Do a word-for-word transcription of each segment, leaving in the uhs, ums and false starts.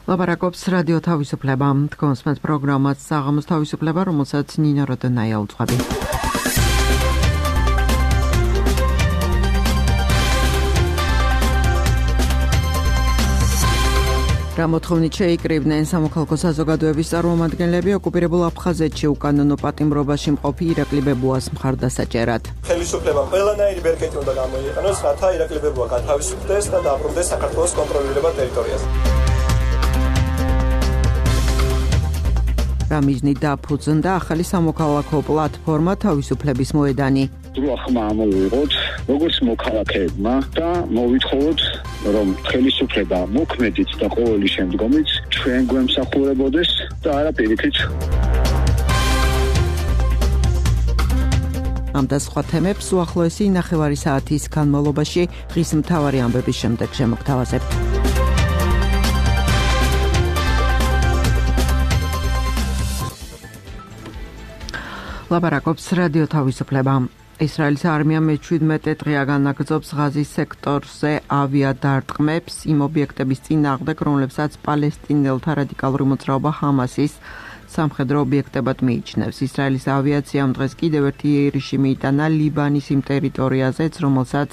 ლაპარაკობს რადიო თავისუფლება. თქვენს პროგრამას საღამოს თავისუფლება, რომელსაც ნინო როდონაია უძღვები. რამოთხოვნით შეიკრიბნენ სამოქალაქო საზოგადოების წარმომადგენლები ოკუპირებულ აფხაზეთში უკანონო პატიმრობაში მყოფი ირაკლი ბებუას მხარდასაჭერად. ხელისუფლებამ ყველანაირი ბერკეტი უნდა გამოიყენოს, რათა ირაკლი ბებუა გათავისუფლდეს და დააბრუნდეს საქართველოს კონტროლირებად ტერიტორიაზე. რა მიზნით დაფუძნდა ახალი სამოქალაქო პლატფორმა თავისუფლების მოედანი. დრო ახმა ამოვიღოთ როგორც მოქალაქეებმა და მოვითხოვოთ რომ ხელისუფლება მოქმედით და ყოველი შემდგომიც ჩვენ გვემსახურებოდეს და არა პირიქით. ამ და სხვა თემებს უახლოესი ნახევარი საათის განმავლობაში დღის მთავარი ამბების შემდეგ შემოგთავაზებთ. ლაპარაკობს რადიო თავისუფლება. ისრაელის არმია მეჩვიდმეტე დღეა განაგრძობს ღაზის სექტორზე ავიადარტყმებს იმ ობიექტების წინააღმდეგ, რომლებსაც პალესტინელთა რადიკალური მოძრაობა ჰამასის სამხედრო ობიექტებად მიიჩნევს. ისრაელის ავიაციამ დღეს კიდევ ერთი იერიში მიიტანა ლიბანის იმ ტერიტორიაზეც, რომელსაც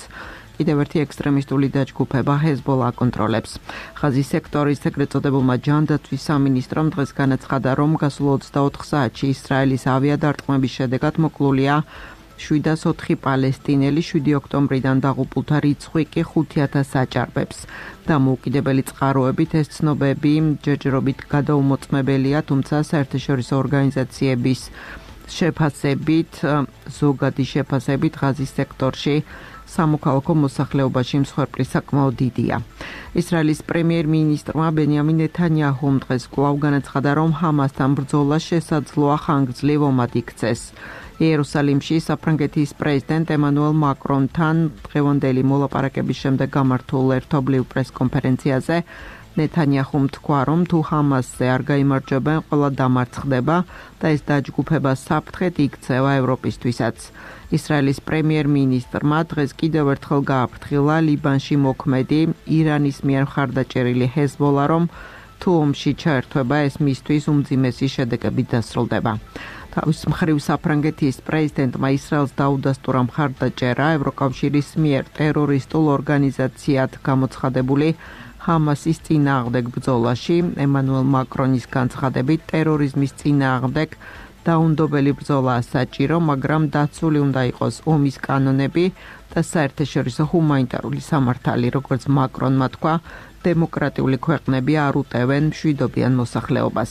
კიდევ ერთი ექსტრემისტული დაჯგუფება ჰეზბოლა აკონტროლებს. ღაზის სექტორის ეგრეთ წოდებულმა ჯანდაცვის სამინისტრომ დღეს განაცხადა, რომ გასულ ოცდაოთხ საათში ისრაელის ავიადარტყმების შედეგად მოკლულია შვიდას ოთხი პალესტინელი, შვიდი ოქტომბრიდან დაღუპულთა რიცხვი კი ხუთი ათასს აჭარბებს. დამოუკიდებელი წყაროებით ეს ცნობები ჯერჯერობით გადაუმოწმებელია, თუმცა საერთაშორისო ორგანიზაციების შეფასებით, ზოგადი შეფასებით ღაზის სექტორში სამოქალაქო მოსახლეობაში მსხვერპლი საკმაოდ დიდია. ისრაელის პრემიერ-მინისტრმა ბენიამინ ნეთანიაჰუმ დღეს კვლავ განაცხადა, რომ ჰამასთან ბრძოლა შესაძლოა ხანგრძლივ ომად იქცეს. იერუსალიმში საფრანგეთის პრეზიდენტ ემანუელ მაკრონთან დღევანდელი მოლაპარაკების შემდეგ გამართულ ერთობლივ პრესკონფერენციაზე ნეთანიაჰუმ თქვა, რომ თუ ჰამასზე არ გაიმარჯვებენ, ყველა დამარცხდება და ეს დაჯგუფება საფრთხედ იქცევა ევროპისთვისაც. ისრაელის პრემიერ-მინისტრმა დღეს კიდევ ერთხელ გააფრთხილა ლიბანში მოქმედი ირანის მიერ მხარდაჭერილი ჰეზბოლა, რომ თუ ომში ჩაერთვება, ეს მისთვის უმძიმესი შედეგებით დასრულდება. თავის მხრივ საფრანგეთის პრეზიდენტმა ისრაელს დაუდასტურა მხარდაჭერა ევროკავშირის მიერ ტერორისტულ ორგანიზაციად გამოცხადებული ჰამასის წინააღმდეგ ბრძოლაში. ემანუელ მაკრონის განცხადებით, ტერორიზმის წინააღმდეგ დაუნდობელი ბრძოლაა საჭირო, მაგრამ დაცული უნდა იყოს ომის კანონები და საერთაშორისო ჰუმანიტარული სამართალი, როგორც მაკრონმა თქვა, დემოკრატიული ქვეყნები არ უტევენ მშვიდობიან მოსახლეობას.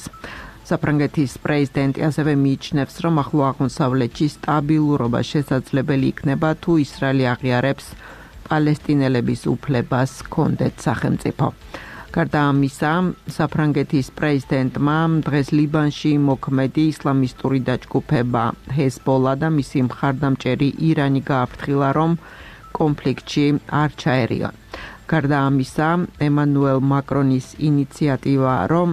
საფრანგეთის პრეზიდენტი ასევე მიიჩნევს, რომ ახლო აღმოსავლეთში სტაბილურობა შესაძლებელი იქნება, თუ ისრაელი აღიარებს პალესტინელების უფლებას ჰქონდეთ სახელმწიფო. გარდა ამისა, საფრანგეთის პრეზიდენტმა დღეს ლიბანში მოქმედი ისლამისტური დაჯგუფება ჰეზბოლა და მისი მხარდამჭერი ირანი გააფრთხილა, რომ კონფლიქტში არ ჩაერიონ. გარდა ამისა, ემანუელ მაკრონის ინიციატივა, რომ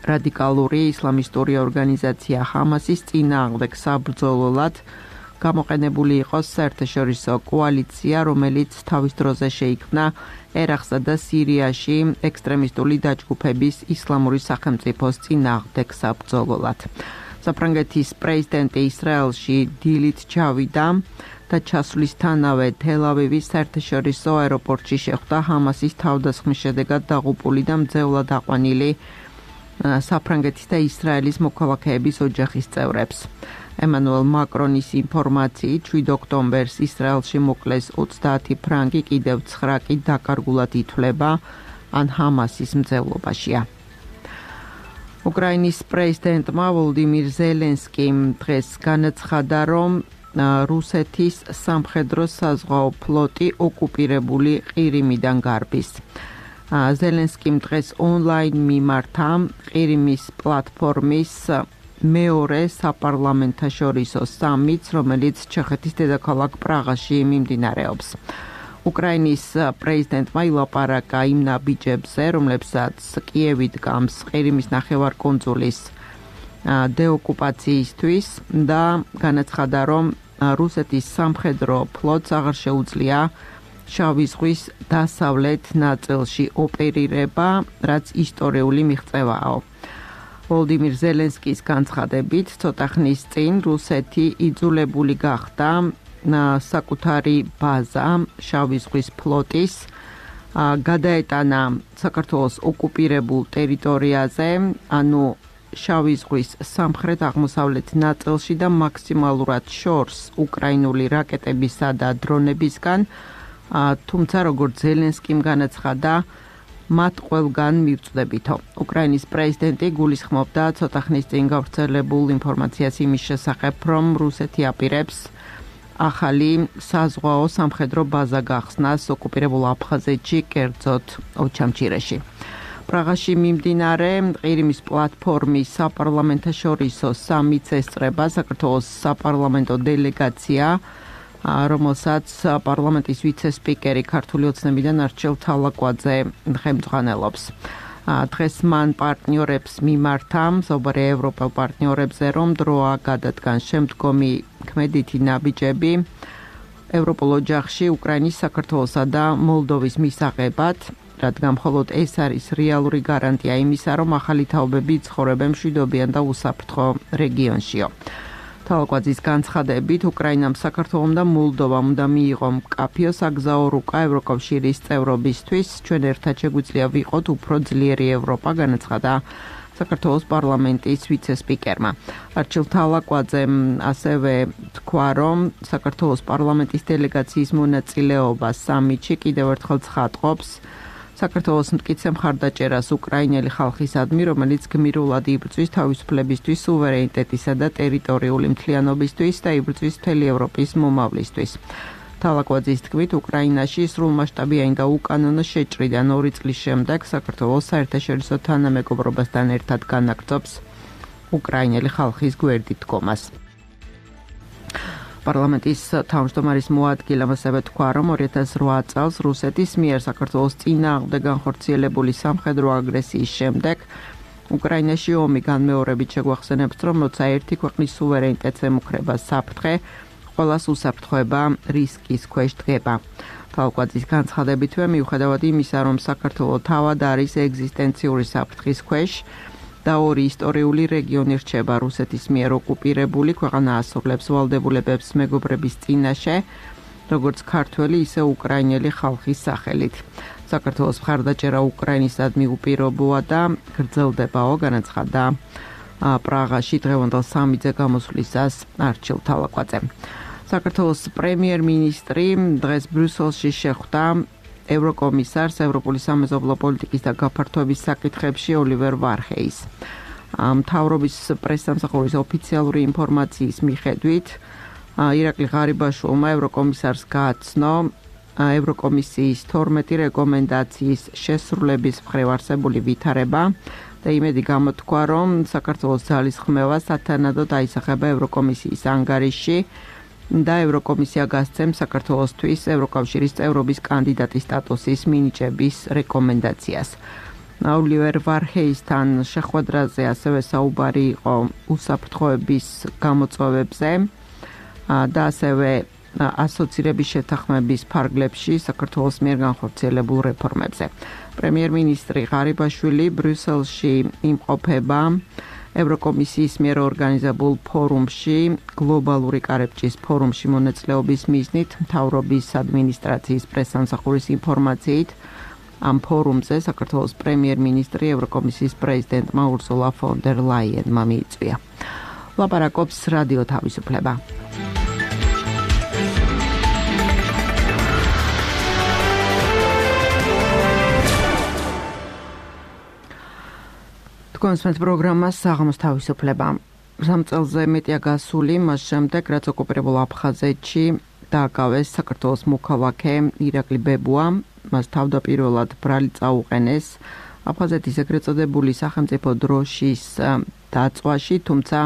რადიკალური ისლამისტური ორგანიზაცია ჰამასის წინააღმდეგ საბრძოლოდ გამოყენებული იყოს საერთაშორისო კოალიცია, რომელიც თავის დროზე შეიქმნა ერაყსა და სირიაში ექსტრემისტული დაჯგუფების ისლამური სახელმწიფოს წინააღმდეგ საბრძოლოდ. საფრანგეთის პრეზიდენტი ისრაელში დილით ჩავიდა და ჩასვლისთანავე თელ-ავივის საერთაშორისო აეროპორტში შეხვდა ჰამასის თავდასხმის შედეგად დაღუპული და მძევლად აყვანილი საფრანგეთის და ისრაელის მოქალაქეების ოჯახის წევრებს. ემანუელ მაკრონის ინფორმაციით, შვიდ ოქტომბერს ისრაელში მოკლეს ოცდაათი ფრანგი, კიდევ ცხრა კი დაკარგულად ითვლება ან ჰამასის მძევლობაშია. უკრაინის პრეზიდენტმა ვოლოდიმირ ზელენსკიმ დღეს განაცხადა, რომ რუსეთის სამხედრო საზღვაო ფლოტი ოკუპირებული ყირიმიდან გარბის. ზელენსკიმ დღეს ონლაინ მიმართა ყირიმის პლატფორმის მეორე საპარლამენტაშორისო სამიტს, რომელიც ჩეხეთის დედაქალაქ პრაღაში მიმდინარეობს. უკრაინის პრეზიდენტმა ილაპარაკა იმ ნაბიჯებზე, რომლებსაც კიევი დგამს ყირიმის ნახევარკუნძულის დეოკუპაციისთვის და განაცხადა, რომ რუსეთის სამხედრო ფლოტს აღარ შეუძლია შავი ზღვის დასავლეთ ნაწილში ოპერირება, რაც ისტორიული მიღწევაა. ვოლოდიმირ ზელენსკის განცხადებით, ცოტა ხნის წინ რუსეთი იძულებული გახდა საკუთარი ბაზა შავი ზღვის ფლოტის გადაეტანა საქართველოს ოკუპირებულ ტერიტორიაზე, ანუ შავი ზღვის სამხრეთ აღმოსავლეთ ნაწილში და მაქსიმალურად შორს უკრაინული რაკეტებისა და დრონებისგან, თუმცა როგორც ზელენსკიმ განაცხადა, მათ ყველგან მივწვდებითო. უკრაინის პრეზიდენტი გულისხმობდა ცოტა ხნის წინ გავრცელებულ ინფორმაციას იმის შესახებ, რომ რუსეთი აპირებს ახალი საზღვაო სამხედრო ბაზა გახსნას ოკუპირებულ აფხაზეთში, კერძოდ ოჩამჩირეში. პრაღაში მიმდინარე ყირიმის პლატფორმის საპარლამენტაშორისო სამიტს ესწრება საქართველოს საპარლამენტო დელეგაცია, რომელსაც პარლამენტის ვიცე-სპიკერი ქართული ოცნებიდან არჩილ თალაკვაძე ხელმძღვანელობს. დღეს მან პარტნიორებს მიმართა, მსოფლიო ევროპელ პარტნიორებზე, რომ დროა გადადგან შემდგომი ქმედითი ნაბიჯები ევროპულ ოჯახში უკრაინის, საქართველოსა და მოლდოვის მისაღებად, რადგან მხოლოდ ეს არის რეალური გარანტია იმისა, რომ ახალი თაობები ცხოვრობენ მშვიდობიან და უსაფრთხო რეგიონშიო. თალაკვაძის განცხადებით, უკრაინამ, საქართველომ და მოლდოვამ უნდა მიიღო მკაფიო საგზაო რუკა ევროკავშირის წევრობისთვის. ჩვენ ერთად შეგვიძლია ვიყოთ უფრო ძლიერი ევროპა, განაცხადა საქართველოს პარლამენტის ვიცე-სპიკერმა. არჩილ თალაკვაძემ ასევე თქვა, რომ საქართველოს პარლამენტის დელეგაციის მონაწილეობა სამიტში კიდევ ერთხელ ცხადყოფს საქართველოს მტკიცე მხარდაჭერას უკრაინელი ხალხისადმი, რომელიც გმირულად იბრძვის თავისუფლებისთვის, სუვერენიტეტისა და ტერიტორიული მთლიანობისთვის და იბრძვის მთელი ევროპის მომავლისთვის. თალაკვაძის თქმით, უკრაინაში სრულმასშტაბიანი და უკანონო შეჭრიდან ორი წლის შემდეგ საქართველოს საერთაშორისო თანამეგობრობასთან ერთად განაგრძობს უკრაინელი ხალხის გვერდით დგომას. პარლამენტის თავმჯდომარის მოადგილემ ასევე თქვა, რომ ორი ათას რვა წელს რუსეთის მიერ საქართველოს წინააღმდეგ განხორციელებული სამხედრო აგრესიის შემდეგ უკრაინაში ომი განმეორებით შეგვახსენებს, რომ როცა ერთი ქვეყნის სუვერენიტეტს ემუქრება საფრთხე, ყველას უსაფრთხოება რისკის ქვეშ დგება. თალაკვაძის განცხადებითვე, მიუხედავად იმისა, რომ საქართველო თავად არის ეგზისტენციური საფრთხის ქვეშ და ორი ისტორიული რეგიონი რჩება რუსეთის მიერ ოკუპირებული, ქვეყანა ასრულებს ვალდებულებებს მეგობრების წინაშე, როგორც ქართველი, ისე უკრაინელი ხალხის სახელით. საქართველოს მხარდაჭერა უკრაინისადმი უპირობოა და გრძელდებაო, განაცხადა პრაღაში დღევანდელ სამიტზე გამოსვლისას არჩილ თალაკვაძემ. საქართველოს პრემიერ-მინისტრი დღეს ბრიუსელში შეხვდა ევროკომისარს ევროპული სამეზობლო პოლიტიკის და გაფართოების საკითხებში ოლივერ ვარჰეის. მთავრობის პრესსამსახურის ოფიციალური ინფორმაციის მიხედვით, ირაკლი ღარიბაშვილმა ევროკომისარს გააცნო ევროკომისიის თორმეტი რეკომენდაციის შესრულების მხრივ არსებული ვითარება და იმედი გამოთქვა, რომ საქართველოს ძალისხმევა სათანადოდ აისახება ევროკომისიის ანგარიშში და ევროკომისია გასცემს საქართველოსთვის ევროკავშირის წევრობის კანდიდატის სტატუსის მინიჭების რეკომენდაციას. ოლივერ ვარჰეისთან შეხვედრაზე ასევე საუბარი იყო უსაფრთხოების გამოწვევებზე და ასევე ასოცირების შეთანხმების ფარგლებში საქართველოს მიერ განხორციელებულ რეფორმებზე. პრემიერ-მინისტრი ღარიბაშვილი ბრიუსელში იმყოფება ევროკომისიის მიერ ორგანიზებულ ფორუმში, გლობალური კარებჭის ფორუმში მონაწილეობის მიზნით, მთავრობის ადმინისტრაციის პრესსამსახურის ინფორმაციით, ამ ფორუმზე საქართველოს პრემიერ-მინისტრი ევროკომისიის პრეზიდენტმა ურსულა ფონ დერ ლაიენმა მიიწვია. ლაპარაკობს რადიო თავისუფლება. კონსპენს პროგრამას საღამოს თავისუფლება. სამ წელზე მეტია გასული, მას შემდეგ, რაც ოკუპირებულ აფხაზეთში დააკავეს საქართველოს მოქალაქე ირაკლი ბებუა, მას თავდაპირველად ბრალი წაუყენეს აფხაზეთის ეგრეთ წოდებული სახელმწიფო დროშის დაწვაში, თუმცა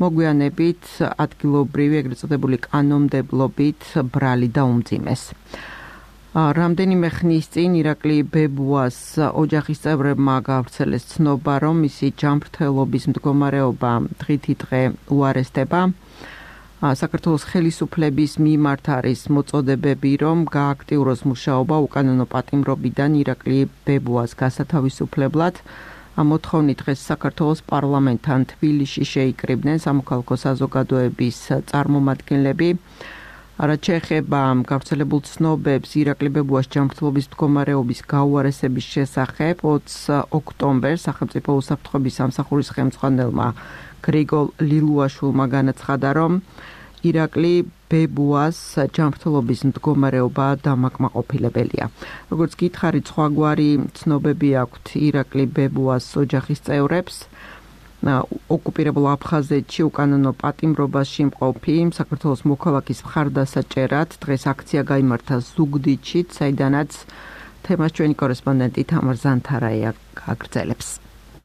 მოგვიანებით ადგილობრივი ეგრეთ წოდებული კანონმდებლობით ბრალი დაუმძიმეს. რამდენიმე ხნის წინ ირაკლი ბებუას ოჯახის წევრებმა გავრცელეს ცნობა, რომ მისი ჯანმრთელობის მდგომარეობა დღითი დღე უარესდება. საქართველოს ხელისუფლების მიმართ არის მოწოდებები, რომ გააქტიუროს მუშაობა უკანონო პატიმრობიდან ირაკლი ბებუას გასათავისუფლებლად. ამ მოთხოვნით დღეს საქართველოს პარლამენტთან თბილისში შეიკრიბნენ სამოქალაქო საზოგადოების წარმომადგენლები. რაც შეეხება გავრცელებულ ცნობებს ირაკლი ბებუას ჯანმრთელობის მდგომარეობის გაუარესების შესახებ, ოცი ოქტომბერს სახელმწიფო უსაფრთხოების სამსახურის ხელმძღვანელმა გრიგოლ ლილუაშვილმა განაცხადა, რომ ირაკლი ბებუას ჯანმრთელობის მდგომარეობა დამაკმაყოფილებელია. როგორც გითხარით, სხვაგვარი ცნობები აქვთ ირაკლი ბებუას ოჯახის წევრებს. ოკუპირებულ აფხაზეთში უკანონო პატიმრობაში მყოფი საქართველოს მოქალაქის მხარდასაჭერად დღეს აქცია გაიმართა ზუგდიდში, საიდანაც თემას ჩვენი კორესპონდენტი თამარ ზანთარაია გაგრძელებს.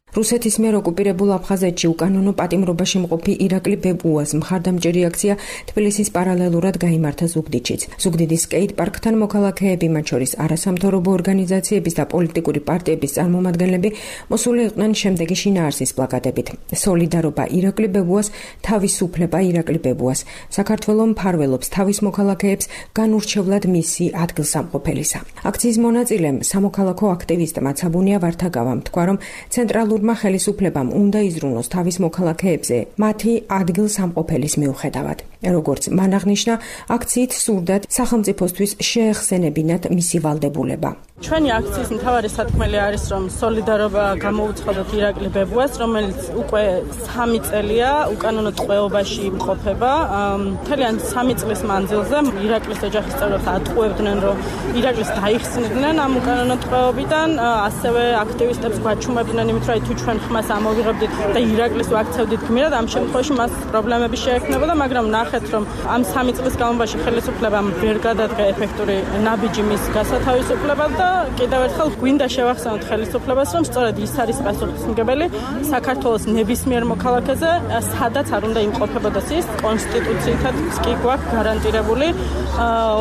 რუსეთის მიერ ოკუპირებულ აფხაზეთში უკანონო პატიმრობაში მყოფი ირაკლი ბებუას მხარდამჭერი აქცია თბილისის პარალელურად გაიმართა ზუგდიდშიც. ზუგდიდის სკეით პარკთან მოქალაქეები, მათ შორის არასამთავრობო ორგანიზაციების და პოლიტიკური პარტიების წარმომადგენლები მოსული იყვნენ შემდეგი შინაარსის პლაკატებით. სოლიდარობა ირაკლი ბებუას, თავისუფლება ირაკლი ბებუას. საქართველო მფარველობს თავის მოქალაქეებს, განურჩევლად მისი ადგილსამყოფელისა. აქციის მონაწილემ სამოქალაქო აქტივისტმა ცაბუნია ვართაგავამ თქვა, რომ ცენტრალურ ხელისუფლებამ უნდა იზრუნოს თავის მოქალაქეებზე მათი ადგილსამყოფელის მიუხედავად. როგორც მან აღნიშნა, აქციით სურდათ სახელმწიფოსთვის შეეხსენებინათ მისი ვალდებულება. ჩვენი აქციის მთავარი სათქმელი არის, რომ სოლიდარობა გამოუცხადოთ ირაკლი ბებუას, რომელიც უკვე სამი წელია უკანონო ტყვეობაში იმყოფება. მთლიან სამი წლის მანძილზე ირაკლის ოჯახის წევრებს ატყუებდნენ, რომ ირაკლის დაიხსნიდნენ ამ უკანონო ტყვეობიდან, ასევე აქტივისტებს გვაჩუმებდნენ იმით, რომ თუ ჩვენ ხმას ამოვიღებდით და ირაკლის ვაქცევდით გმირად, ამ შემთხვევაში მას პრობლემები შეექმნებოდა, მაგრამ ნახეთ, რომ ამ სამი წლის განმავლობაში ხელისუფლებამ ვერ გადადგა ეფექტური ნაბიჯი მის გასათავისუფლებლად და კიდევ ერთხელ გვინდა შევახსენოთ ხელისუფლებას, რომ სწორედ ის არის პასუხისმგებელი საქართველოს ნებისმიერ მოქალაქეზე, სადაც არ უნდა იმყოფებოდეს ის, კონსტიტუციითაც კი გვაქვს გარანტირებული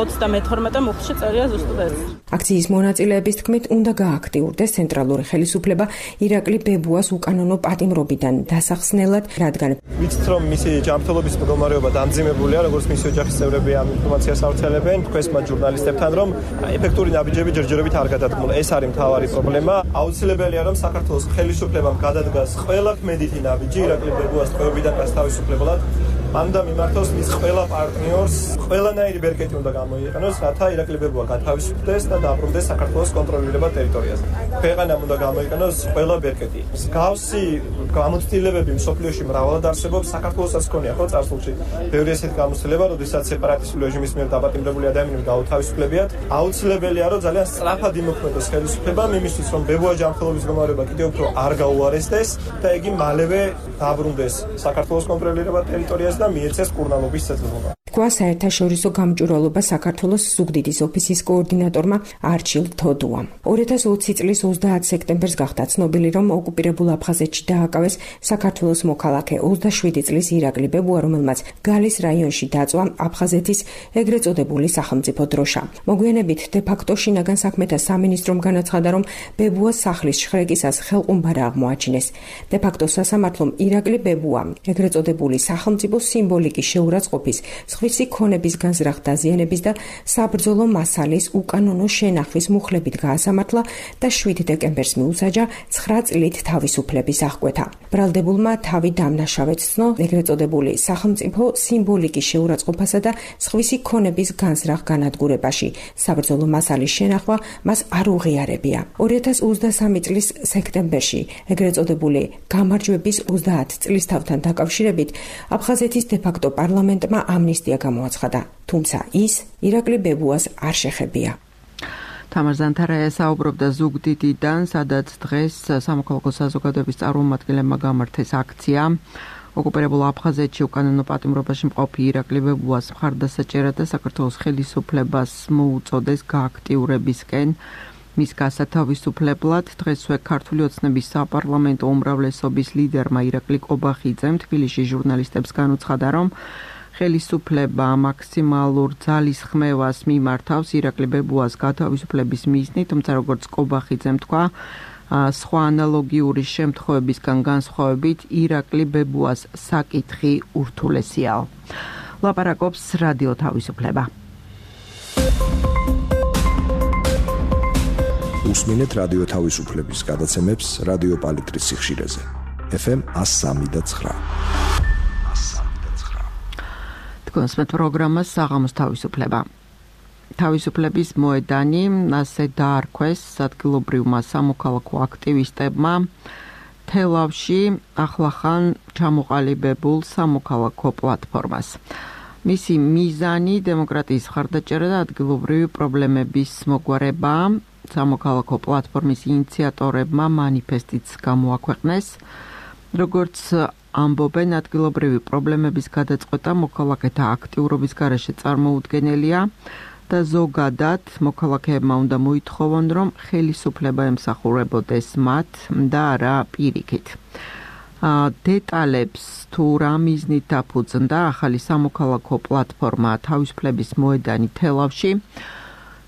ოცდამეთორმეტე მუხლში წერია ზუსტად ეს. აქციის მონაწილეების თქმით, უნდა გააქტიურდეს ცენტრალური ხელისუფლება ირაკლი ბებუას უკანონო პატიმრობიდან დასახსნელად, რადგან ვიცით, რომ მისი ჯანმრთელობის მდგომარეობა დამძიმებულია, როგორც მისი ოჯახის წევრები ამ ინფორმაციას ავრცელებენ, თქვენს მათ ჟურნალისტებთან, რომ ეფექტური ნაბიჯები ჯერჯერობით არ გადადგმულ. ეს არის მთავარი პრობლემა. აუცილებელია, რომ საქართველოს ხელისუფლებამ გადადგას ყველა ქმედითი ნაბიჯი ირაკლი ბებუას ტყვეობიდან გასათავისუფლებლად. მანდა მიმართოს მის ყველა პარტნიორს, ყველანაირი ბერკეტი უნდა გამოიყენოს, რათა ირაკლი ბებუა გათავისუფლდეს და დაბრუნდეს საქართველოს კონტროლირებად ტერიტორიაზე. ქვეყანამ უნდა გამოიყენოს ყველა ბერკეტი. მსგავსი გამოცდილებები მსოფლიოში მრავლად არსებობს, საქართველოსაც ჰქონია ხო წარსულში ბევრი ესეთი გამოცდილება, როდესაც სეპარატისტული რეჟიმის მიერ დაპატიმრებული ადამიანები გაუთავისუფლებიათ. აუცილებელია, რომ ძალიან სწრაფად იმოქმედოს ხელისუფლებამ იმისთვის, რომ ბებუას ჯანმრთელობის მდგომარეობა კიდევ უფრო არ გაუარესდეს და იგი მალევე დაბრუნდეს საქართველოს კონტროლირებად ტერიტორიაზე და მიეცეს კურნალობის ცეცხლობა. თქვა საერთაშორისო გამჭვირვალობა საქართველოს ზუგდიდის ოფისის კოორდინატორმა არჩილ თოდუამ. ორი ათას ოცი წლის ოცდაათ სექტემბერს გახდა ცნობილი, რომ ოკუპირებულ აფხაზეთში დააკავეს საქართველოს მოქალაქე ოცდაშვიდი წლის ირაკლი ბებუა, რომელმაც გალის რაიონში დაწვა აფხაზეთის ეგრეთ წოდებული სახელმწიფო დროშა. მოგვიანებით დე-ფაქტო შინაგან საქმეთა სამინისტრომ განაცხადა, რომ ბებუას სახლის შხრეკისას ხელყუმბარა აღმოაჩინეს. დე-ფაქტო სასამართლომ ირაკლი ბებუა ეგრეთ წოდებული სახელმწიფო სიმბოლიკის შეურაცხყოფის, სხვისი ქონების განზრახ დაზიანების და საბრძოლო მასალის უკანონო შენახვის მუხლებით გაასამართლა და შვიდ დეკემბერს მიუსაჯა ცხრა წლით თავისუფლების აღკვეთა. ბრალდებულმა თავი დამნაშავედ ცნო ეგრეთ წოდებული სახელმწიფო სიმბოლიკის შეურაცხყოფასა და სხვისი ქონების განზრახ განადგურებაში. საბრძოლო მასალის შენახვა მას არ უღიარებია. ორი ათას ოცდასამი წლის სექტემბერში ეგრეთ წოდებული გამარჯვების ოცდაათ წლისთავთან დაკავშირებით აფხაზეთის დე-ფაქტო პარლამენტმა ამნისტია გამოაცხადა, თუმცა ის ირაკლი ბებუას არ შეხებია. თამარ ზანთარაია საუბრობდა ზუგდიდიდან, სადაც დღეს სამოქალაქო საზოგადოების წარმომადგენლებმა გამართეს აქცია. ოკუპირებულ აფხაზეთში უკანონო პატიმრობაში მყოფი ირაკლი ბებუას მხარდასაჭერად და საქართველოს ხელისუფლებას მოუწოდეს გააქტიურებისკენ მის გასათავისუფლებლად. დღესვე ქართული ოცნების საპარლამენტო უმრავლესობის ლიდერმა ირაკლი კობახიძემ თბილისში ჟურნალისტებს განუცხადა, რომ ხელისუფლება მაქსიმალურ ძალისხმევას მიმართავს ირაკლი ბებუას გათავისუფლების მიზნით, თუმცა როგორც კობახიძემ თქვა, სხვა ანალოგიური შემთხვევებისგან განსხვავებით ირაკლი ბებუას საკითხი ურთულესიაო. ლაპარაკობს რადიო თავისუფლება. უსმინეთ რადიო თავისუფლების გადაცემებს რადიო პალიტრის სიხშირეზე. ეფ ემ one oh three point nine. თქვენსმეთ პროგრამას საღამოს თავისუფლება. თავისუფლების მოედანი ასე დაარქვეს ადგილობრივმა სამოქალაქო აქტივისტებმა თელავში ახლახან ჩამოყალიბებულ სამოქალაქო პლატფორმას. მისი მიზანი დემოკრატიის მხარდაჭერა და ადგილობრივი პრობლემების მოგვარება. სამოქალაქო პლატფორმის ინიციატორებმა მანიფესტიც გამოაქვეყნეს. როგორც ამბობენ, ადგილობრივი პრობლემების გადაწყვეტა მოქალაქეთა აქტიურობის გარეშე წარმოუდგენელია და ზოგადად მოქალაქეებმა უნდა მოითხოვონ, რომ ხელისუფლება ემსახურებოდეს მათ და არა პირიქით. დეტალებს თუ რა მიზნით დაფუძნდა ახალი სამოქალაქო პლატფორმა თავისუფლების მოედანი თელავში,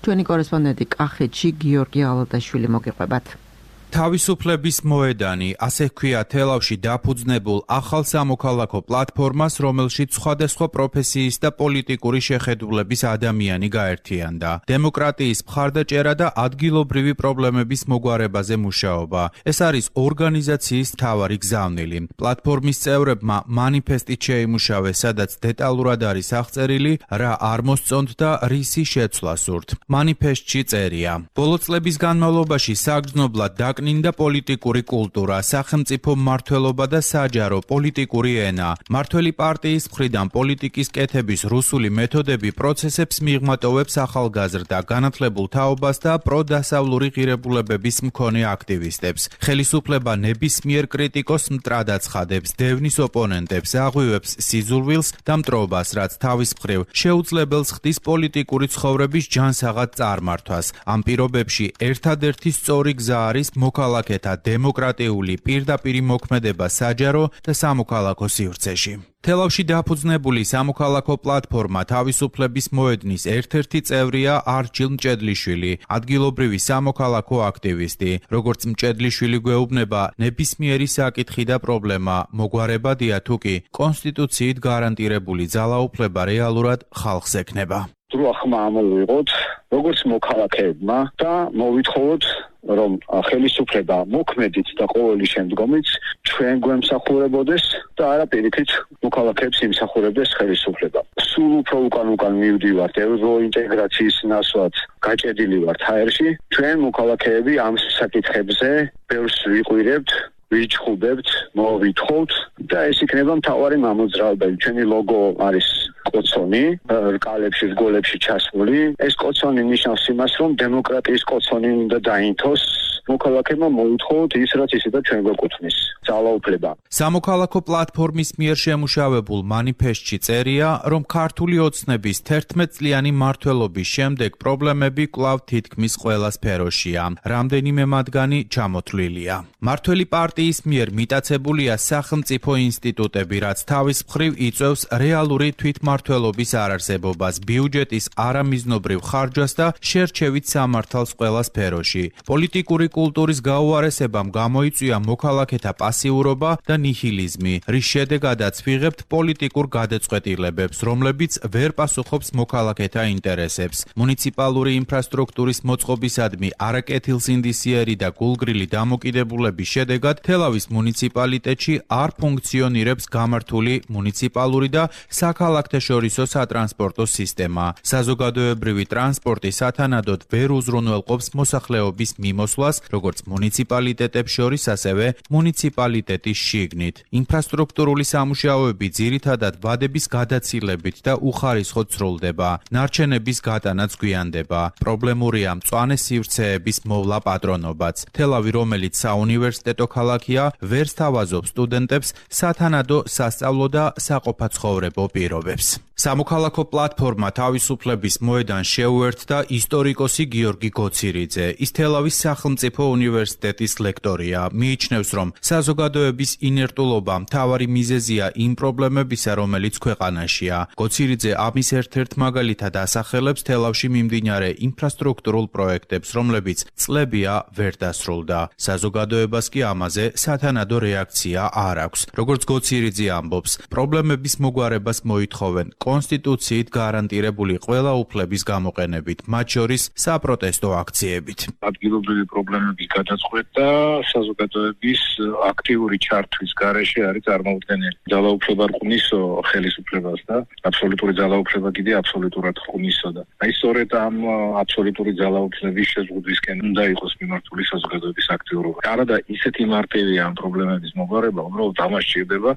ჩვენი კორესპონდენტი კახეთში გიორგი ალადაშვილი მოგიყვებათ. თავისუფლების მოედანი, ასე ჰქვია თელავში დაფუძნებულ ახალ სამოქალაქო პლატფორმას, რომელშიც სხვადასხვა პროფესიის და პოლიტიკური შეხედულების ადამიანი გაერთიანდა. დემოკრატიის მხარდაჭერა და ადგილობრივი პრობლემების მოგვარებაზე მუშაობა. ეს არის ორგანიზაციის მთავარი გზავნილი. პლატფორმის წევრებმა მანიფესტით შეიმუშავეს, სადაც დეტალურად არის აღწერილი, რა არ მოსწონთ და რისი შეცვლა სურთ. მანიფესტში წერია: ბოლო წლების განმავლობაში საგრძნობლად დაკნინდა პოლიტიკური კულტურა, სახელმწიფო მმართველობა და საჯარო პოლიტიკური ენა. მმართველი პარტიის მხრიდან პოლიტიკის კეთების რუსული მეთოდები პროცესებს მიღმატოვებს ახალგაზრდა, განათლებულ თაობას და პროდასავლური ღირებულებების მქონე აქტივისტებს. ხელისუფლება ნებისმიერ კრიტიკოს მტრად აცხადებს, დევნის ოპონენტებს, აღვივებს სიზულვილს და მტრობას, რაც თავის მხრივ შეუძლებელს ხდის პოლიტიკური ცხოვრების ჯანსაღად წარმართვას. ამ პირობებში ერთადერთი სწორი გზა არის მოქალაქეთა დემოკრატიული პირდაპირი მოქმედება საჯარო და სამოქალაქო სივრცეში. თელავში დაფუძნებული სამოქალაქო პლატფორმა თავისუფლების მოედნის ერთ-ერთი წევრია არჩილ მჭედლიშვილი, ადგილობრივი სამოქალაქო აქტივისტი. როგორც მჭედლიშვილი გვეუბნება, ნებისმიერი საკითხი და პრობლემა მოგვარებადია, თუ კი კონსტიტუციით გარანტირებული ძალაუფლება რეალურად ხალხს ექნება. დრო ხმა ამოვიღოთ, როგორც მოქალაქეებმა და მოვითხოვოთ, რომ ხელისუფლება მოქმედით და ყოველი შემდგომიც ჩვენ გვემსახურებოდეს და არა პირიქით მოქალაქეებს იმსახურებდეს ხელისუფლება. სულ უფრო უკან უკან მივდივართ ევროინტეგრაციის ნაცვლად გაჭედილი ვართ ჰაერში. ჩვენ მოქალაქეები ამ საკითხებზე ბევრს ვიყვირებთ, ვიჩხუბებთ, მოვითხოვთ და ეს იქნება მთავარი მამოძრავებელი. ჩვენი ლოგო არის კოცონი, რკალებში, რგოლებში ჩასმული. ეს კოცონი ნიშნავს იმას, რომ დემოკრატიის კოცონი უნდა დაინთოს. მოქალაქეებმა მოითხოვოთ ის, რაც ისედაც ჩვენ გვეკუთვნის, ძალაუფლება. სამოქალაქო პლატფორმის მიერ შემუშავებულ მანიფესტში წერია, რომ ქართული ოცნების თერთმეტ წლიანი მმართველობის შემდეგ პრობლემები კვლავ თითქმის ყველა სფეროშია. რამდენიმე მათგანი ჩამოთვლილია. მმართველი პარტიის მიერ მიტაცებულია სახელმწიფო ინსტიტუტები, რაც თავის მხრივ იწვევს რეალური თვითმმართველობის არარსებობას, ბიუჯეტის არამიზნობრივ ხარჯვას და შერჩევით სამართალს ყველა სფეროში. პოლიტიკური კულტურის გაუარესებამ გამოიწვია მოქალაქეთა პასიურობა და ნიჰილიზმი, რის შედეგადაც ვიღებთ პოლიტიკურ გადაწყვეტილებებს, რომლებიც ვერ პასუხობს მოქალაქეთა ინტერესებს. მუნიციპალური ინფრასტრუქტურის მოწყობისადმი არაკეთილსინდისიერი და გულგრილი დამოკიდებულების შედეგად თელავის მუნიციპალიტეტში არ ფუნქციონირებს გამართული მუნიციპალური და საქალაქთაშორისო სატრანსპორტო სისტემა. საზოგადოებრივი ტრანსპორტი სათანადოდ ვერ უზრუნველყოფს მოსახლეობის მიმოსვლას, როგორც მუნიციპალიტეტებს შორის, ასევე მუნიციპალიტეტის შიგნით. ინფრასტრუქტურული სამუშაოები ძირითადად ვადების გადაცილებით და უხარისხოდ სრულდება. ნარჩენების გატანაც გვიანდება. პრობლემურია მწვანე სივრცეების მოვლა პატრონობაც. თელავი, რომელიც საუნივერსიტეტო ქალაქია, ვერ სთავაზობს სტუდენტებს სათანადო სასწავლო და საყოფაცხოვრებო პირობებს. სამოქალაქო პლატფორმა თავისუფლების მოედანს შეუერთდა ისტორიკოსი გიორგი გოცირიძე. ის თელავის სახელმწიფო სახელმწიფო უნივერსიტეტის ლექტორია. მიიჩნევს, რომ საზოგადოების ინერტულობა მთავარი მიზეზია იმ პრობლემებისა, რომელიც ქვეყანაშია. გოცირიძე ამის ერთ-ერთ მაგალითად ასახელებს თელავში მიმდინარე ინფრასტრუქტურულ პროექტებს, რომლებიც წლებია ვერ დასრულდა. საზოგადოებას კი ამაზე სათანადო რეაქცია არ აქვს. როგორც გოცირიძე ამბობს, პრობლემების მოგვარებას მოითხოვენ კონსტიტუციით გარანტირებული ყველა უფლების გამოყენებით, მათ შორის საპროტესტო აქციებით. ადგილობრივი პრობლემების გადაწყვეტა საზოგადოების აქტიური ჩართვის გარეშე არის წარმოუდგენელი. ძალაუფლება რყვნისო ხელისუფლებას და აბსოლუტური ძალაუფლება კიდე აბსოლუტურად რყვნისო და აი სწორედ ამ აბსოლუტური ძალაუფლების შეზღუდვისკენ უნდა იყოს მიმართული საზოგადოების აქტიურობა. არადა ისეთი მარტივია ამ პრობლემების მოგვარება, უბრალოდ ამას სჭირდება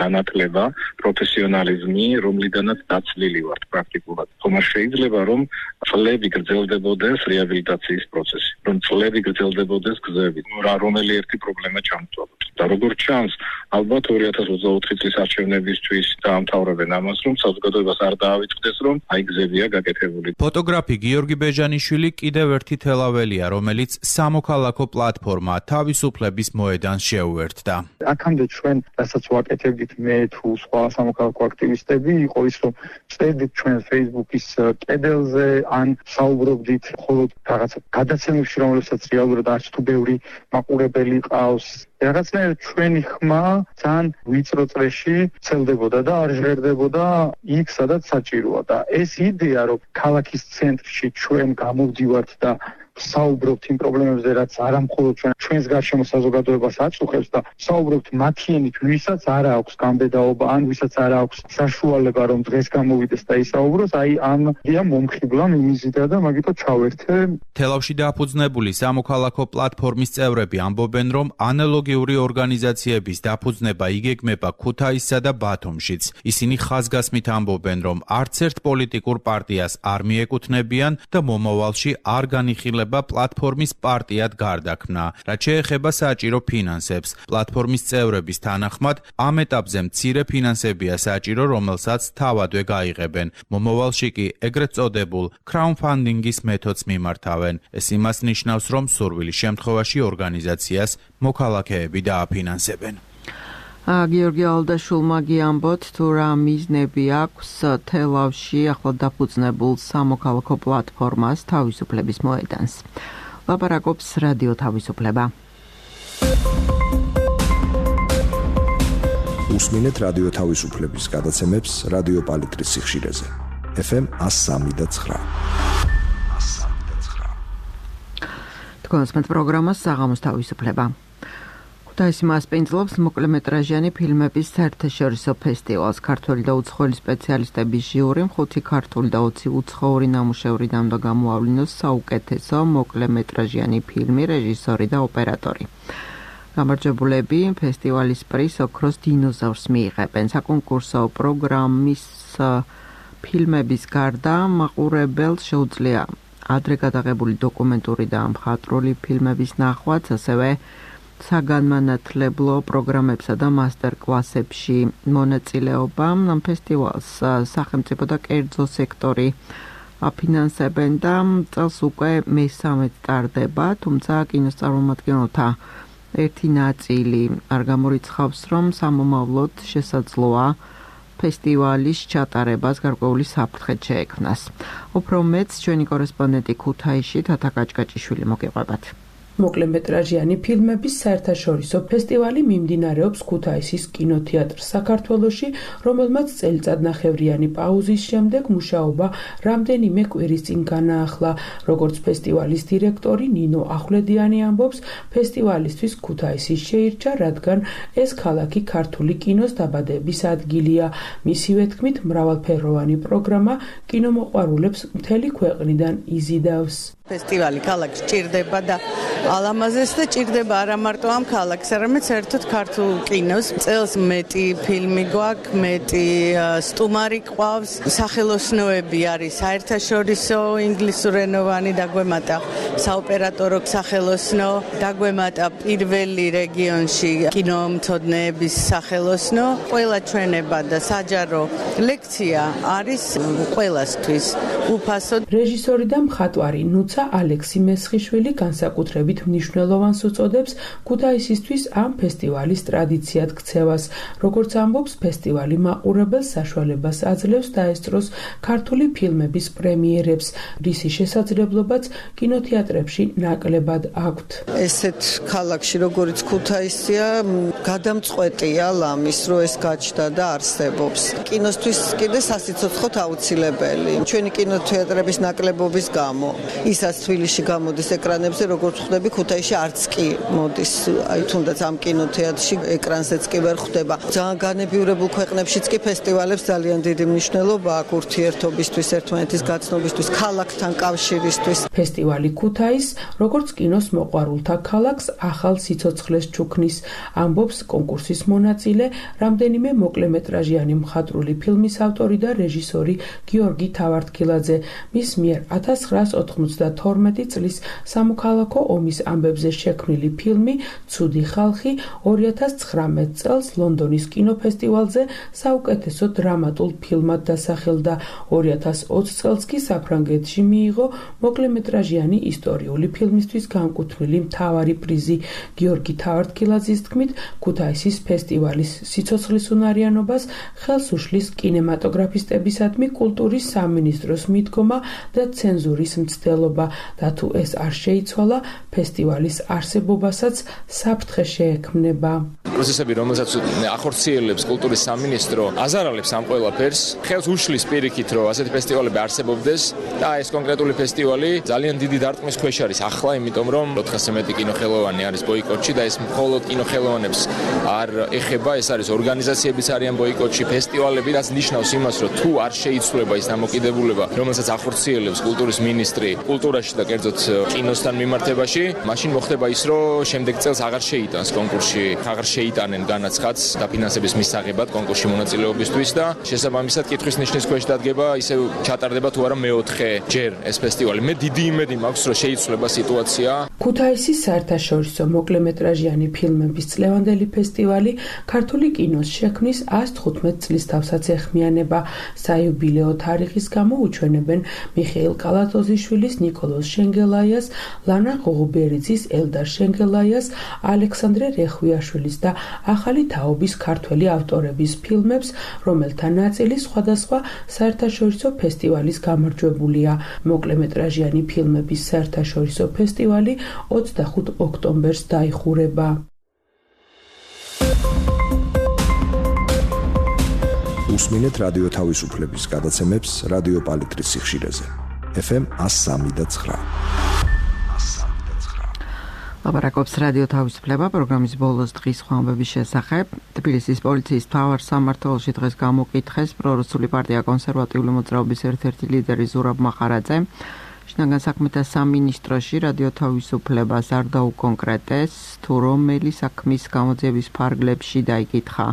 განათლება, პროფესიონალიზმი, რომლიდანაც დაცლილი ვართ პრაქტიკულად. თუმცა შეიძლება რომ წლები გრძელდებოდეს რეაბილიტაციის პროცესი, რომ წლები გრძელდებოდეს გზები, რომელი ერთი პრობლემა ჩამოთვალოთ. და როგორც ჩანს, ალბათ ორი ათას ოცდაოთხი წლის არჩევნებისთვის დაამთავრებენ ამას, რომ საზოგადოებას არ დაავიწყდეს, რომ აი გზებია გაკეთებული. ფოტოგრაფი გიორგი ბეჟანიშვილი კიდევ ერთი თელაველია, რომელიც სამოქალაქო პლატფორმა თავისუფლების მოედანს შეუერთდა. აქამდე ჩვენ, რასაც ვაკეთებდით მე თუ სხვა სამოქალაქო აქტივისტები, იყო ის, რომ წერდით ჩვენ Facebook-ის კედელზე, ან საუბრობდით მხოლოდ რაღაც გადაცემებში, რომლებსაც რეალურად არც თუ ბევრი მაყურებელი ყავს. რაღაცნაირად ჩვენი ხმა ძალიან ვიწრო წრეში ცელდებოდა და არ ჟღერდებოდა იქ, სადაც საჭიროა და ეს იდეა, რომ ქალაქის ცენტრში ჩვენ გამოვდივართ და საუბრობთ იმ პრობლემებზე, რაც არა მხოლოდ ჩვენ ჩვენს გარშემო საზოგადოებას აწუხებს და საუბრობთ მათიანით, ვისაც არ აქვს გამბედაობა, ან ვისაც არ აქვს საშუალება, რომ დღეს გამოვიდეს და ისაუბროს, აი ამ იდეა მომხიბლა მიმიზიდა და მაგითო ჩავერთე. თელავში დაფუძნებული სამოქალაქო პლატფორმის წევრები ამბობენ, რომ ანალოგიური ორგანიზაციების დაფუძნება იგეგმება ქუთაისსა და ბათუმშიც. ისინი ხაზგასმით ამბობენ, რომ არც ერთ პოლიტიკურ პარტიას არ მიეკუთვნებიან და მომავალში არ განიხილება პლატფორმის პარტიად გარდაქმნა. რაც შეეხება საჭირო ფინანსებს, პლატფორმის წევრების თანახმად, ამ ეტაპზე მცირე ფინანსებია საჭირო, რომელსაც თავადვე გაიღებენ. მომავალში კი ეგრეთ წოდებულ crowdfunding-ის მეთოდს მიმართავენ. ეს იმას ნიშნავს, რომ სურვილის შემთხვევაში ორგანიზაციას მოქალაქეები დააფინანსებენ. გიორგი ალდაშულმა გიამბოთ, თუ რა მიზნები აქვს თელავში ახლად დაფუძნებულ სამოქალაქო პლატფორმას თავისუფლების მოედანს. ლაპარაკობს რადიო თავისუფლება. უსმინეთ რადიო თავისუფლების გადაცემებს რადიო პალიტრის სიხშირეზე. ეფ ემ one oh three point nine. თქვენს პროგრამას საღამოს თავისუფლება. ქუთაისი მასპინძლობს მოკლემეტრაჟიანი ფილმების საერთაშორისო ფესტივალს. ქართველი და უცხოელი სპეციალისტების ჟიური ხუთი ქართული და ოცი უცხოური ნამუშევრიდან და გამოავლინოს საუკეთესო მოკლემეტრაჟიანი ფილმი, რეჟისორი და ოპერატორი. გამარჯვებულები ფესტივალის პრიზს ოქროს დინოზავრს მიიღებენ. საკონკურსო პროგრამის ფილმების გარდა მაყურებელს შეუძლია ადრე გადაღებული დოკუმენტური და მხატვრული ფილმების ნახვაც, ასევე საგანმანათლებლო პროგრამებსა და მასტერ-კლასებში მონაწილეობა. ამ ფესტივალს სახელმწიფო და კერძო სექტორი აფინანსებენ და წელს უკვე მესამედ ტარდება, თუმცა კინოს წარმომადგენელთა ერთი ნაწილი არ გამორიცხავს, რომ სამომავლოდ შესაძლოა ფესტივალის ჩატარებას გარკვეული საფრთხე შეექმნას. უფრო მეტს ჩვენი კორესპონდენტი ქუთაისში თათა კაჭკაჭიშვილი მოგეყვებათ. მოკლემეტრაჟიანი ფილმების საერთაშორისო ფესტივალი მიმდინარეობს ქუთაისის კინოთეატრ საქართველოში, რომელმაც წელიწადნახევრიანი პაუზის შემდეგ მუშაობა რამდენიმე კვირის წინ განაახლა. როგორც ფესტივალის დირექტორი ნინო ახვლედიანი ამბობს, ფესტივალისთვის ქუთაისი შეირჩა, რადგან ეს ქალაქი ქართული კინოს დაბადების ადგილია. მისივე თქმით, მრავალფეროვანი პროგრამა კინომოყვარულებს მთელი ქვეყნიდან იზიდავს. ფესტივალი ქალაქს ჭირდება და ალამაზეს და ჭირდება არა მარტო ამ ქალაქს, არამედ საერთოდ ქართულ კინოს. წელს მეტი ფილმი გვაქვს, მეტი სტუმარი ყავს, სახელოსნოები არის საერთაშორისო ინგლისურენოვანი დაგვემატა საოპერატორო სახელოსნო, დაგვემატა პირველი რეგიონში კინომცოდნეების სახელოსნო. ყველა ჩვენება და საჯარო ლექცია არის ყველასთვის უფასო. რეჟისორი და მხატვარი ნუცა თუმცა ალექსი მესხიშვილი განსაკუთრებით მნიშვნელოვანს უწოდებს ქუთაისისთვის ამ ფესტივალის ტრადიციად ქცევას. როგორც ამბობს, ფესტივალი მაყურებელს საშუალებას აძლევს დაესწროს ქართული ფილმების პრემიერებს, რისი შესაძლებლობაც კინოთეატრებში ნაკლებად აქვთ. ესეთ ქალაქში, როგორც ქუთაისია, გადამწყვეტია ლამის, რომ ეს გაჩნდა და არსებობს. კინოსთვის კიდე სასიცოცხლოდ აუცილებელი. ჩვენი კინოთეატრების ნაკლებობის გამო, ისაც თბილისში გამოდის ეკრანებზე, როგორც ხვდები, ქუთაისში არც კი მოდის. აი თუნდაც ამ კინოთეატრში ეკრანზეც კი ვერ ხვდება. ძალიან განებიურებულ ქვეყნებშიც კი ფესტივალებს ძალიან დიდი მნიშვნელობა აქვს ურთიერთობისთვის, ერთმანეთის გაცნობისთვის, ქალაქთან კავშირისთვის. ფესტივალი ქუთაის, როგორც კინოს მოყვარულთა ქალაქს, ახალ სიცოცხლეს ჩუქნის, ამბობს კონკურსის მონაწილე, რამდენიმე მოკლემეტრაჟიანი მხატვრული ფილმის ავტორი და რეჟისორი გიორგი თავართქილაძე. მის მიერ ათას ცხრაას ოთხმოცდათორმეტი წლის სამოქალაქო ომის ამბებზე შექმნილი ფილმი „ცუდი ხალხი“ ორი ათას ცხრამეტ წელს ლონდონის კინოფესტივალზე საუკეთესო დრამატულ ფილმად დასახელდა. ორი ათას ოცი წელს კი საფრანგეთში მიიღო მოკლემეტრაჟიანი ისტორიული ფილმისთვის განკუთვნილი მთავარი პრიზი. გიორგი თავართქილაძის თქმით, ქუთაისის ფესტივალის სიცოცხლის უნარიანობას ხელს უშლის კინემატოგრაფისტებისადმი კულტურის სამინისტროს მიდგომა და ცენზურის მცდელობა და თუ ეს არ შეიცვალა, ფესტივალის არსებობასაც საფრთხე შეექმნება. პროცესები, რომელსაც ახორციელებს კულტურის სამინისტრო, აზარალებს ამ ყველაფერს, ხელს უშლის პირიქით, რომ ასეთი ფესტივალები არსებობდეს და ეს კონკრეტული ფესტივალი ძალიან დიდი დარტყმის ქვეშ არის ახლა, იმიტომ რომ ოთხასზე მეტი კინოხელოვანი არის ბოიკოტში და ეს მხოლოდ კინოხელოვანებს არ ეხება, ეს არის ორგანიზაციებიც არიან ბოიკოტში, ფესტივალები, რაც ნიშნავს იმას, რომ თუ არ შეიცვლება ის დამოკიდებულება, რომელსაც ახორციელებს კულტურის მინისტრი კულტურაში და კერძოდ კინოსთან მიმართებაში, მაშინ მოხდება ის, რომ შემდეგ წელს აღარ შეიტანს კონკურსში, აღარ შეიტანენ განაცხადს დაფინანსების მისაღებად კონკურსში მონაწილეობისთვის და შესაბამისად კითხვის ნიშნის ქვეშ დადგება, ისევ ჩატარდება თუ არა მეოთხე ჯერ ეს ფესტივალი. მე დიდი იმედი მაქვს, რომ შეიცვლება სიტუაცია. ქუთაისის საერთაშორისო მოკლემეტრაჟიანი ფილმების წლევანდელი ფესტივალი ქართული კინოს შექმნის ას თხუთმეტ წლის თავსაც ეხმიანება. საიუბილეო თარიღის გამო უჩვენებენ მიხეილ კალატოზიშვილის, ნიკოლოზ შენგელაიას, ლანა ღოღუბერიძის, ელდარ შენგელაიას, ალექსანდრე რეხვიაშვილის და ახალი თაობის ქართველი ავტორების ფილმებს, რომელთა ნაწილი სხვადასხვა საერთაშორისო ფესტივალის გამარჯვებულია. მოკლემეტრაჟიანი ფილმების საერთაშორისო ფესტივალი ოცდახუთ ოქტომბერს დაიხურება. უსმინეთ რადიო თავისუფლების გადაცემებს რადიო პალიტრის სიხშირეზე. ეფ ემ ას სამი და ცხრა. ლაპარაკობს რადიო თავისუფლება პროგრამის ბოლოს დღის ხმამების შესახებ. თბილისის პოლიციის მთავარ სამმართველოში დღეს გამოკითხეს პრორუსული პარტია კონსერვატიული მოძრაობის ერთ-ერთი ლიდერი ზურაბ მახარაძე. შინაგან საქმეთა სამინისტროში რადიო თავისუფლებას არ დაუკონკრეტეს, თუ რომელი საქმის გამოძიების ფარგლებში დაიკითხა.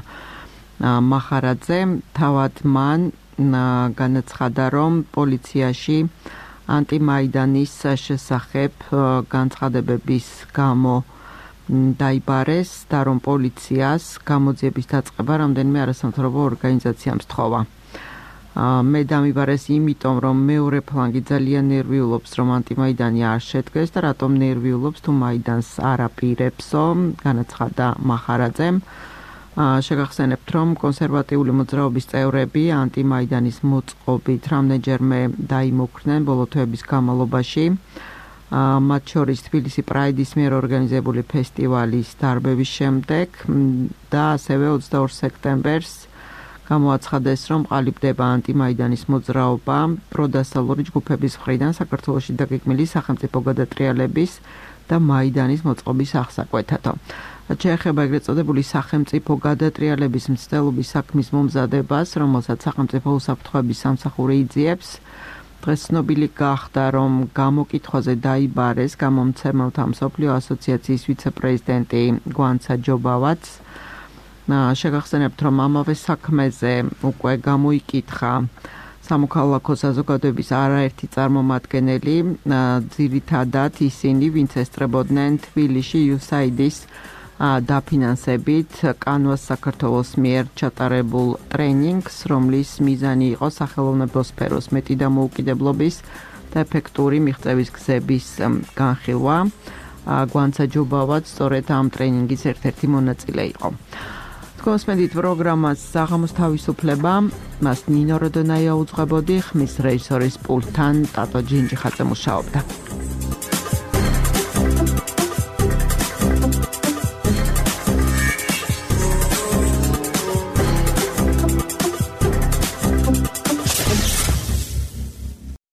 მახარაძე თავად მან განაცხადა, რომ პოლიციაში ანტიმაიდანის შესახებ განცხადებების გამო დაიბარეს და რომ პოლიციას გამოძიების დაწყება რამდენიმე არასამთავრობო ორგანიზაციამ სთხოვა. მე დამიბარეს იმიტომ, რომ მეორე ფლანგი ძალიან ნერვიულობს, რომ ანტიმაიდანი არ შედგეს და რატომ ნერვიულობს, თუ მაიდანს არ აპირებსო, განაცხადა მახარაძემ. შეგახსენებთ, რომ კონსერვატიული მოძრაობის წევრები ანტიმაიდანის მოწყობით რამდენჯერმე დაიმოქმნენ ბოლო თვეების განმავლობაში. მათ შორის თბილისი პრაიდის მიერ ორგანიზებული ფესტივალის დარბევის შემდეგ და ასევე ოცდაორ სექტემბერს გამოაცხადეს, რომ ყალიბდება ანტიმაიდანის მოძრაობა პროდასალური ჯგუფების მხრიდან საქართველოში დაგეგმილი სახელმწიფო გადატრიალების და მაიდანის მოწყობის აღსაკვეთათო. შეეხება ეგრეთ წოდებული სახელმწიფო გადატრიალების მცდელობის საქმის მომზადებას, რომელსაც სახელმწიფო უსაფრთხოების სამსახური იძიებს. დღეს ცნობილი გახდა, რომ გამოკითხვაზე დაიბარეს გამომცემელთა მსოფლიო ასოციაციის ვიცე-პრეზიდენტი გვანცა ჯობავაც. შეგახსენებთ, რომ ამავე საქმეზე უკვე გამოიკითხა სამოქალაქო საზოგადოების არაერთი წარმომადგენელი, ძირითადად ისინი, ვინც ესწრებოდნენ თბილისში იუსაიდის დაფინანსებით კანვას საქართველოს მიერ ჩატარებულ ტრენინგს, რომლის მიზანი იყო სახელოვნებო სფეროს მეტი დამოუკიდებლობის და ეფექტური მიღწევის გზების განხილვა. გვანცა ჯობავად სწორედ ამ ტრენინგის ერთ-ერთი მონაწილე იყო. თქვენსმენდით პროგრამას საღამოს თავისუფლება, მას ნინო როდონაია უძღვებოდი, ხმის რეჟისორის პულტთან ტატო ჯინჯიხაძე მუშაობდა.